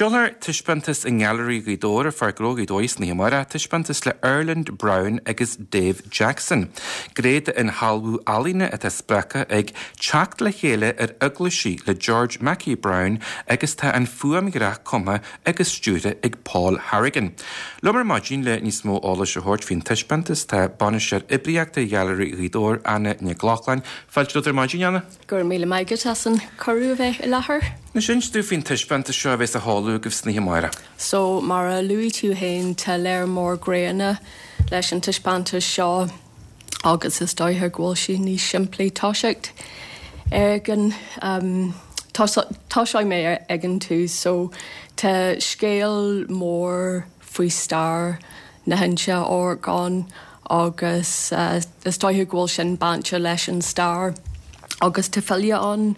Seolfar taispeántas i nGailearaí Ghaoth Dobhair ar Pháirc Ghnó Ghaoth Dobhair san oíche amárach, taispeántas le Erland Browne agus Dave Jackson. Gné d'inshealbhú ealaíne atá spreagtha ag Teacht le Chéile ar Eaglaisí le George Mackay Brown agus tá an fuaimdhreach cumtha agus stiúrtha ag Paul Harrigan. Liom ar maidin le níos mó eolais a thabhairt faoin taispeántas tá Bainisteoir Oibríochta Ghailearaí Ghaoth Dobhair, Anna Nic Lochlainn. Fáilte romhat ar maidin, Anna. Go raibh míle maith agat as an cuireadh a bheith i láthair. Anois, inis dúinn faoin taispeántas seo a bheas á sheoladh agaibh san oíche amárach. So, mar a luaigh tú féin, tá léar mór gnéanna leis an taispeántas seo agus is dóiche go bhfuil sé níos simplí toiseacht ag an, tosóidh mé ag an tús. So, tá scéal mór faoi stair na hInse á amharc ann agus is dóiche go bhfuil sin bainte leis an stair agus tá file ann,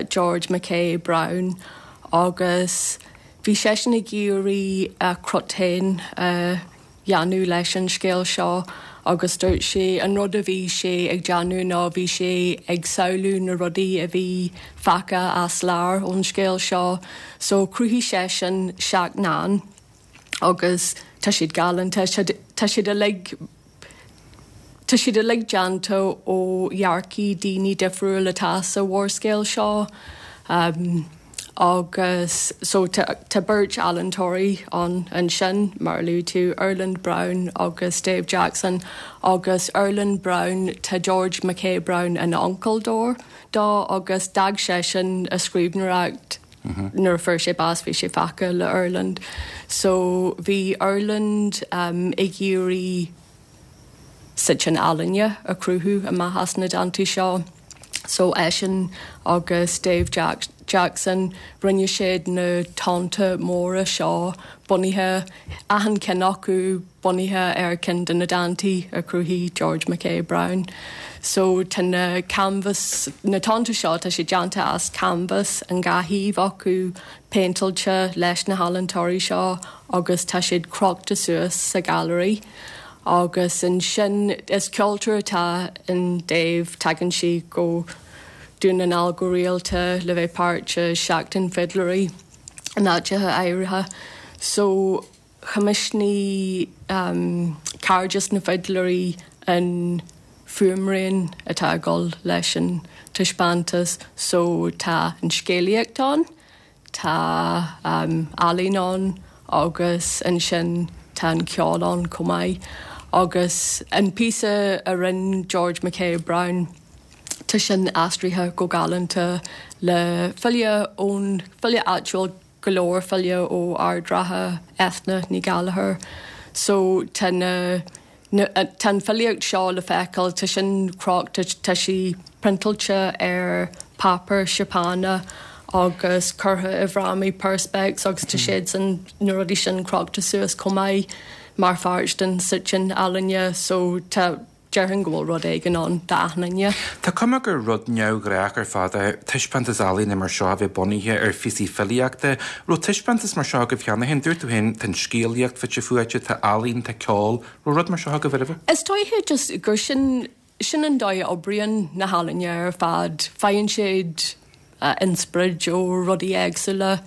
George Mackay Brown, agus bhí seisean ag iarraidh a chrut féin a dhéanamh leis an scéal seo agus dúirt sé an rud a bhí sé ag déanamh ná bhí sé ag samhlú na rudaí a bhí fágtha as lár ón scéal seo so chruthaigh seisean seacht ndán. agus tá siad galánta. Tá siad uilig, tá siad uilig déanta ó dhearcaí daoine difriúil atá sa mhórscéal seo agus so tá beirt ealaíontóirí ann ansin, mar a luaigh tú, Erland Browne agus Dave Jackson agus Erland Browne, tá George Mackay Brown ina uncail dó agus d'fhág seisean a scríbhneoireacht Nuair a fuair sé bás bhí sé fágtha le Erland. So bhí Erland ag iarraidh suiteán ealaíne a chruthú amach as na dántaí seo. So eisean agus Dave Jackson, rinne siad na tonnta móra seo bunaithe, achan ceann acu bunaithe ar ceann de na dántaí a chruthaigh George Mackay Brown. So tá na canbhas, na tonnta seo, tá siad déanta as canbhas, an dhá thaobh acu péinteáilte leis na healaíontóirí seo agus tá siad crochta suas sa ghailearaí. Agus ansin is ceoltóir atá in Dave, tagann sé go Dún na nGall go rialta le bheith páirt i Seachtain Fidléirí in áiteacha áirithe. So. Choimisiúnaigh Cairdeas na bhFidléirí an fuaimrian atá ag dul leis an taispeántas so tá an scéalaíocht ann, tá ealaín ann agus ansin tá an ceol ann chomh maith. Agus an píosa a rinne George Mackay Brown, tá sin aistrithe go galánta le file ón, file áitiúil, go leor file ó Ard Ratha, Eithne Ní Ghallchóir. So tá na, na, tá an filíocht seo le feiceáil, tá sin crochta, tá sí priontáilte ar páipéar Seapánach agus curtha i bhfrámaí perspex agus tá siad san, na rudaí sin crochta suas chomh maith mar pháirt den suiteán ealaíne. So tá. Déarfainn go bhfuil rud éigin ann d'achan duine. Tá cuma gur rud neamhghnách ar fad é taispeántas ealaíne mar seo a bheith bunaithe ar phíosaí filíochta. Raibh taispeántas mar seo agaibh cheana féin? Dúirt tú féin, tá an scéalaíocht fite fuaite, tá ealaín, tá ceol. Raibh rud mar seo agaibh roimhe? Is dóiche just gur sin, sin an dóigh a oibríonn na healaíona ar fad. Faigheann siad inspioráid ó rudaí éagsúla.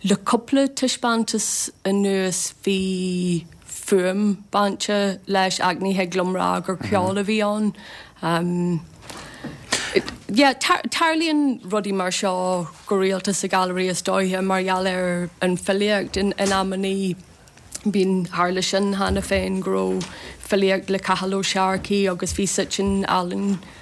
Le cúpla taispeántas anuas bhí fuaim bainte leis ach ní thig liom rá gur ceol a bhí ann. Yeah, tarlaíonn rudaí mar seo go rialta sa Ghailearaí is dóiche mar gheall ar an filíocht in amannaí. Bíonn, tharla sin cheana féin go raibh filíocht le Cathal Ó Searcaigh agus bhí suiteán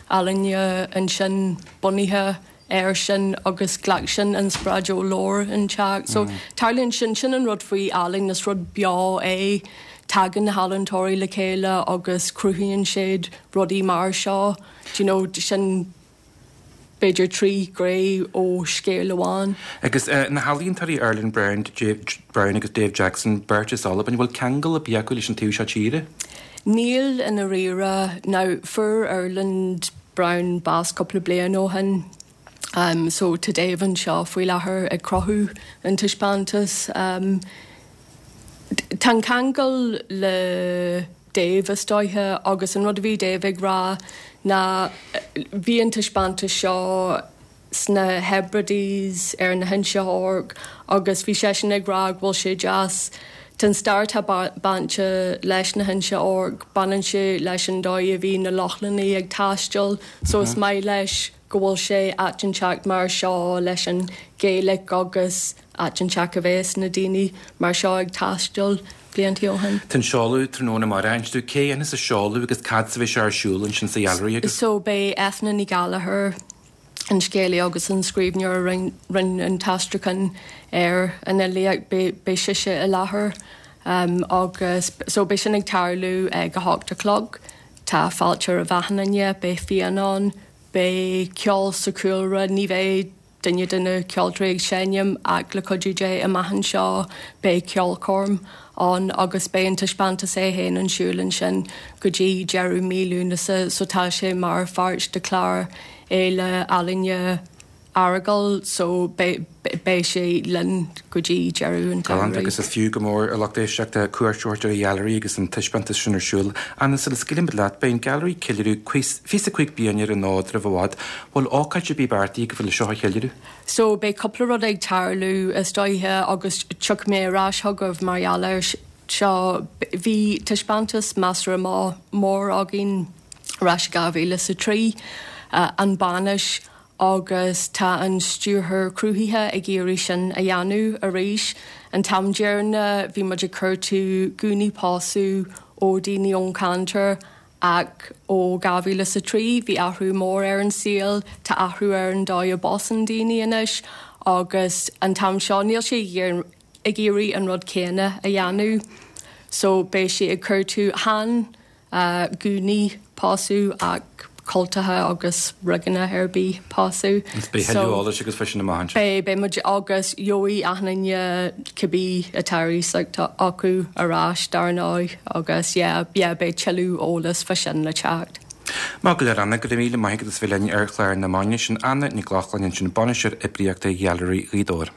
ealaíne ansin bunaithe air sin agus ghlac sin inspioráid ó leabhar inteacht. So tarlaíonn sin, sin an rud faoi ealaín, is rud beo é, tagann na healaíontóirí le chéile agus cruthaíonn siad rudaí mar seo, do you know, sin. b'fhéidir 3 ghné ó scéal amháin. Agus na healaíontóirí Erland Brown, Brown agus Dave Jackson, beirt as Albain, an bhfuil ceangal ar bith acu leis an taobh seo tíre? Níl i ndáiríre. Now, fuair Erland Brown bás cúpla bliain ó shin, so tá Dave anseo faoi láthair ag cruthú an taispeántas. Tá an ceangal le Dave is dóiche agus an rud a bhí Dave ag rá ná bhí an taispeántas seo. sna Hebrides, ar na hInse Orc agus bhí seisean ag rá go bhfuil sé deas, tá an stair atá bainte leis na hInse Orc, baineann sé leis an dóigh a bhí na Lochlannaigh ag taisteal so is maith leis go bhfuil sé áit inteacht mar seo leis an Gaeilic agus áit inteacht a bheas na daoine mar seo ag taisteal blianta ó shin. Tá an seoladh tráthnóna amárach. Inis dúinn cé a dhéanfas an seoladh agus cad a bheidh sé ar siúl ansin sa Ghailearaí agus. So beidh Eithne Ní Ghallchóir, an scéalaí agus an scríbhneoir a rinne an t-aistriúchán ar an fhilíocht, beidh sise i láthair agus so beidh sin ag tarlú ag 8 a chlog. Tá fáilte roimh achan duine, beidh fíon ann, beidh ceol sa chúlra, ní bheidh duine de na ceoltóirí ag seinm ach le cuidiú Dé amach anseo beidh ceolchoirm ann agus beidh an taispeántas é féin ar siúl ansin go dtí deireadh mí Lúnasa so tá sé mar pháirt de chlár Fhéile Ealaíne Earagail so beidh sé linn go dtí deireadh an tsamhraidh. Galánta agus is fiú go mór a lucht éisteachta cuairt a thabhairt ar an Ghailearaí agus an taispeántas sin ar siúl. Anna, sula scaoilimid leat, beidh an Gailearaí ag ceiliúradh 25 bliain ar an fhód roimh i bhfad. Bhfuil ócáid ar bith beartaithe agaibh le seo a cheiliúradh? So beidh cúpla rud ag tarlú is dóiche agus tiocfaidh mé ar ais chugaibh mar gheall air seo. Bhí taispeántas measartha mór againn ar ais i 2003, An Bhainis, agus tá an stiúrthóir cruthaithe ag iarraidh sin a dhéanamh arís. An t-am deireanach bhí muid ag cuartú gúnaí pósadh ó daoine ón cheantar Ach ó 2003 bhí athrú mór ar an saol, tá athrú ar an dóigh a bpósann daoine anois agus an t-am seo níl sé ag iarraidh an rud céanna a dhéanamh so beidh sé ag cuartú chan gúnaí pósadh ach cultacha agus rigeanna ar bith pósadh. Agus beidh tuilleadh eolais agat faoi sin amach anseo. Beidh, beidh muid agus gheobhaidh achan duine cibé atá ar iasacht acu ar ais dar ndóigh agus yeah, yeah beidh tuilleadh eolas fá sin le teacht. Maith go leor Anna, go raibh míle maith agat as bheith linn ar chlár na Maidine. Sin Anna Nic Lochlainn ansin, Bainisteoir Oibríochta Ghailearaí Ghaoth Dobhair.